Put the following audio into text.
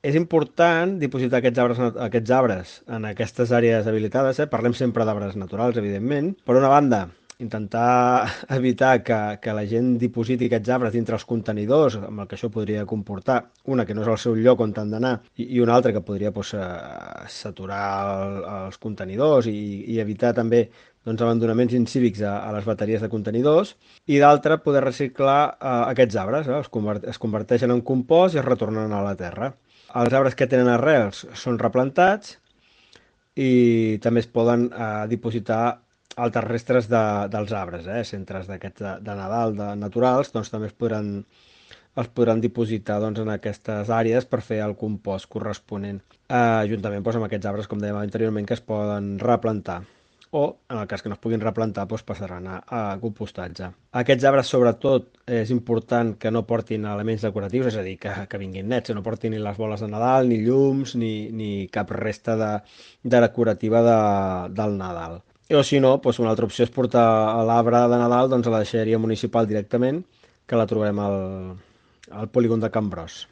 És important dipositar aquests arbres en aquestes àrees habilitades. Parlem sempre d'arbres naturals, evidentment. Per una banda, intentar evitar que la gent dipositi aquests arbres dintre els contenidors, amb el que això podria comportar, una, que no és el seu lloc on han d'anar, i una altra, que podria doncs, saturar els contenidors i evitar també doncs, abandonaments incívics a les bateries de contenidors, i d'altra, poder reciclar aquests arbres. Es converteixen en compost i es retornen a la terra. Els arbres que tenen arrels són replantats i també es poden dipositar altres restes dels arbres, centres d'aquests de Nadal, naturals, doncs també es podran dipositar doncs, en aquestes àrees per fer el compost corresponent, juntament doncs, amb aquests arbres, com dèiem anteriorment, que es poden replantar o, en el cas que no es puguin replantar, doncs passaran a compostatge. Aquests arbres, sobretot, és important que no portin elements decoratius, és a dir, que vinguin nets, que no portin ni les boles de Nadal, ni llums, ni cap resta de decorativa del Nadal. O si no, doncs una altra opció és portar l'arbre de Nadal doncs, a la deixalleria municipal directament, que la trobem al polígon de Can Bros.